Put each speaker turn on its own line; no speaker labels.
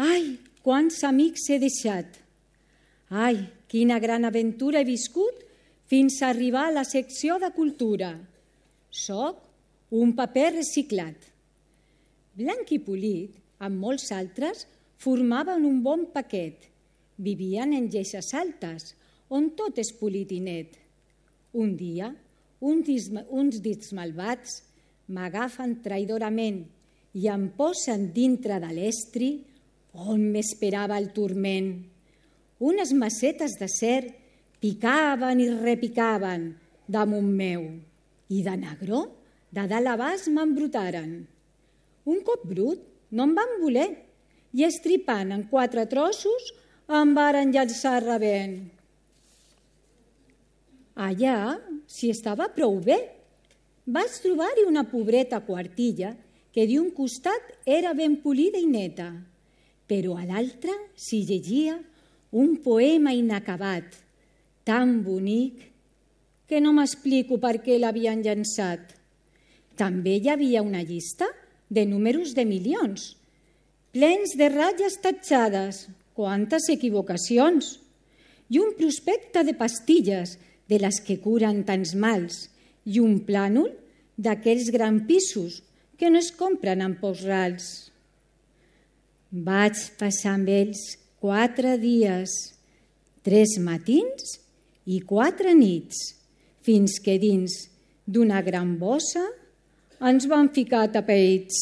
Ai, quants amics he deixat! Ai, quina gran aventura he viscut fins a arribar a la secció de cultura. Soc un paper reciclat. Blanc i Polit, amb molts altres, formaven un bon paquet. Vivien en lleixes altes, on tot és polit i net. Un dia, uns dits malvats m'agafen traïdorament i em posen dintre de l'estri on m'esperava el turment. Unes macetes d'acer picaven i repicaven damunt meu i de negró de dalt a baix m'embrutaren. Un cop brut no em van voler i estripant en 4 trossos em varen llançar rebent. Allà s'hi estava prou bé. Vaig trobar-hi una pobreta quartilla que d'un costat era ben polida i neta, però a l'altre s'hi llegia un poema inacabat, tan bonic que no m'explico per què l'havien llançat. També hi havia una llista de números de milions, plens de ratlles tatxades, quantes equivocacions, i un prospecte de pastilles de les que curen tants mals, i un plànol d'aquells grans pisos que no es compren en pocs rals. Vaig passar amb ells 4 dies, 3 matins i 4 nits, fins que dins d'una gran bossa ens van ficar tapeïts.